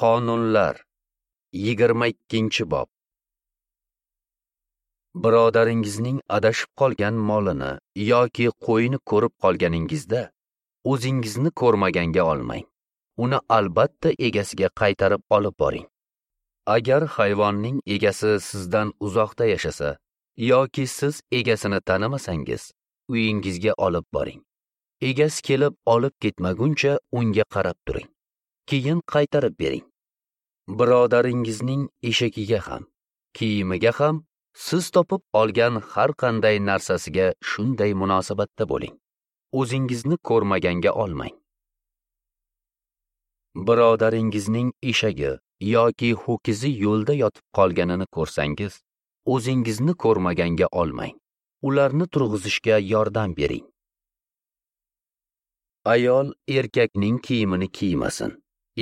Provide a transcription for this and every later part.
Qonunlar 22-bob. Birodaringizning adashib qolgan molini yoki qo'yini ko'rib qolganingizda o'zingizni ko'rmaganga olmang. Uni albatta egasiga qaytarib olib boring. Agar hayvonning egasi sizdan uzoqda yashasa yoki siz egasini tanimasangiz, uyingizga olib boring. Egasi kelib olib ketmaguncha unga qarab turing. Keyin qaytarib bering. Birodaringizning eshagiga ham, kiyimiga ham, siz topib olgan har qanday narsasiga shunday munosabatda bo'ling. O'zingizni ko'rmaganga olmang. Birodaringizning eshagi yoki ho'kizi yo'lda yotib qolganini ko'rsangiz, o'zingizni ko'rmaganga olmang. Ularni turg'izishga yordam bering. Ayol erkakning kiyimini kiymasin,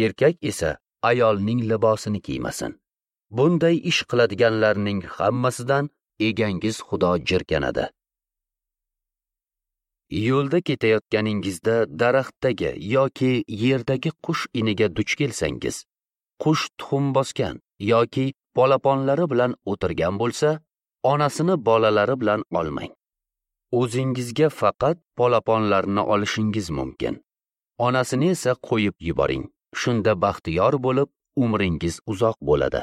erkak esa ayolning libosini kiymasin. Bunday ish qiladiganlarning hammasidan egangiz Xudo jirkanadi. Yo'lda ketayotganingizda daraxtdagi yoki yerdagi qush iniga duch kelsangiz, qush tuxum bosgan yoki polaponlari bilan o'tirgan bo'lsa, onasini bolalari bilan olmang. O'zingizga faqat polaponlarni olishingiz mumkin. Onasini esa qo'yib yuboring. Shunda baxtiyor bo'lib, umringiz uzoq bo'ladi.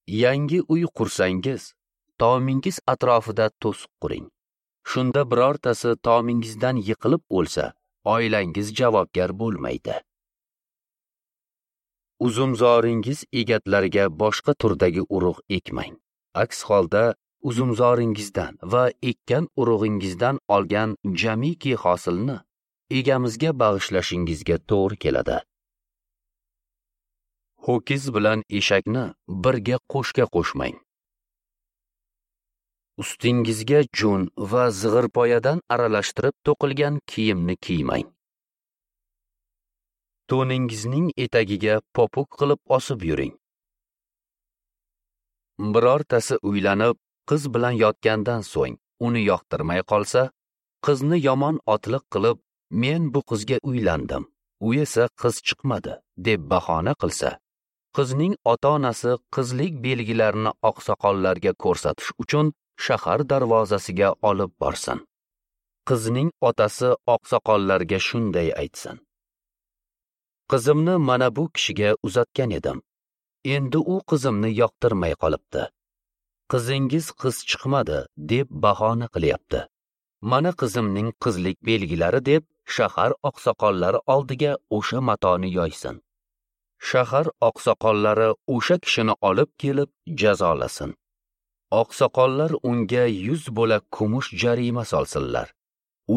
Yangi uy qursangiz, tomingiz atrofida to'siq quring. Shunda birortasi tomingizdan yiqilib o'lsa, oilangiz javobgar bo'lmaydi. Uzumzoringiz egatlariga boshqa turdagi urug' ekmang. Aks holda uzumzoringizdan va ekkan urug'ingizdan olgan jamiki hosilni egamizga bag'ishlashingizga to'g'ri keladi. Ho'kiz bilan eshakni birga qo'shga qo'shmang. Ustingizga jun va zig'irpoyadan aralashtirib to'qilgan kiyimni kiymang. To'ningizning etagiga popuk qilib osib yuring. Birortasi uylanib, qiz bilan yotgandan so'ng uni yoqtirmay qolsa, qizni yomon otliq qilib, men bu qizga uylandim, u esa qiz chiqmadi deb bahona qilsa, qizning ota-onasi qizlik belgilarini oqsoqollarga ko'rsatish uchun shahar darvozasiga olib borsin. Qizning otasi oqsoqollarga shunday aytsin: Qizimni mana bu kishiga uzatgan edim. Endi u qizimni yoqtirmay qolibdi. Qizingiz qiz chiqmadi deb bahona qilyapti. Mana qizimning qizlik belgilari deb shahar oqsoqollari oldiga o'sha matoni yoysin. Shahar oqsoqollari o'sha kishini olib kelib jazolasin. Oqsoqollar unga 100 bo'lak kumush jarima solsinlar.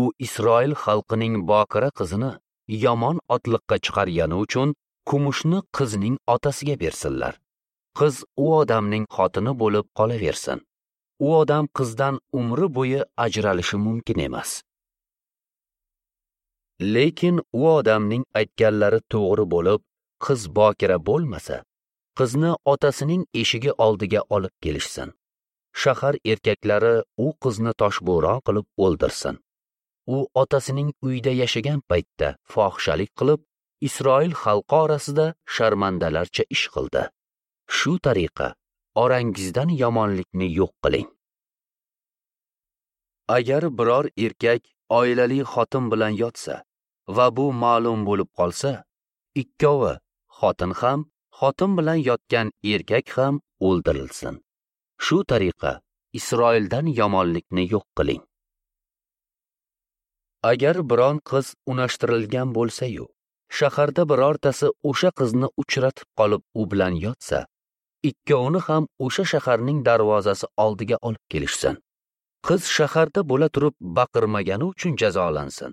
U Isroil xalqining bokira qizini yomon otliqqa chiqargani uchun kumushni qizning otasiga bersinlar. Qiz u odamning xotini bo'lib qolaversin. U odam qizdan umri bo'yi ajralishi mumkin emas. Lekin u odamning aytganlari to'g'ri bo'lib, qiz bokira bo'lmasa, qizni otasining eshigi oldiga olib kelishsin. Shahar erkaklari u qizni toshbo'ron qilib o'ldirsin. U otasining uyida yashagan paytda fohishalik qilib, Isroil xalqi orasida sharmandalarcha ish qildi. Shu tariqa orangizdan yomonlikni yo'q qiling. Agar biror erkak oilali xotin bilan yotsa va bu ma'lum bo'lib qolsa, ikkovi, xotin ham, xotin bilan yotgan erkak ham o'ldirilsin. Shu tariqa Isroildan yomonlikni yo'q qiling. Agar biron qiz unashtirilgan bo'lsa-yu, shaharda birortasi o'sha qizni uchratib qolib u bilan yotsa, ikkovini ham o'sha shaharning darvozasi oldiga olib kelishsin. Qiz shaharda bo'la turib baqirmagani uchun jazolansin.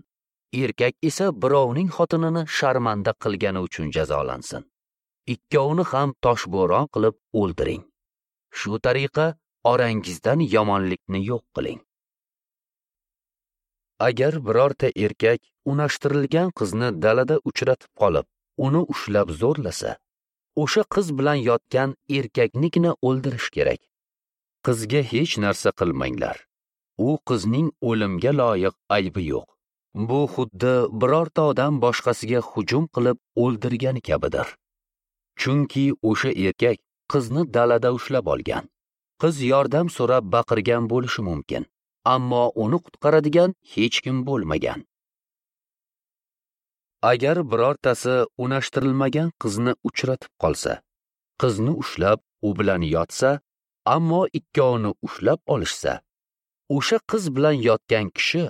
Erkak esa birovning xotinini sharmanda qilgani uchun jazolansin. Ikkovini ham toshbo'ron qilib o'ldiring. Shu tariqa orangizdan yomonlikni yo'q qiling. Agar birorta erkak unashtirilgan qizni dalada uchratib qolib, uni ushlab zo'rlasa, o'sha qiz bilan yotgan erkaknikini o'ldirish kerak. Qizga hech narsa qilmanglar. U qizning o'limga loyiq aybi yo'q. Bu xuddi birorta odam boshqasiga hujum qilib o'ldirgani kabidir. Chunki o'sha erkak qizni dalada ushlab olgan. Qiz yordam so'rab baqirgan bo'lishi mumkin, ammo uni qutqaradigan hech kim bo'lmagan. Agar birortasi unashtirilmagan qizni uchratib qolsa, qizni ushlab u bilan yotsa, ammo ikkovini ushlab olishsa, o'sha qiz bilan yotgan kishi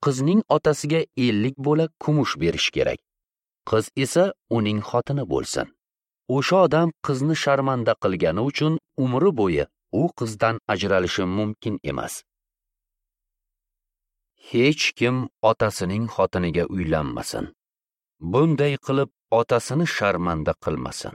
qizning otasiga 50 bo'lak kumush berish kerak. Qiz esa uning xotini bo'lsin. O'sha odam qizni sharmanda qilgani uchun umri bo'yi u qizdan ajralishi mumkin emas. Hech kim otasining xotiniga uylanmasin. Bunday qilib otasini sharmanda qilmasin.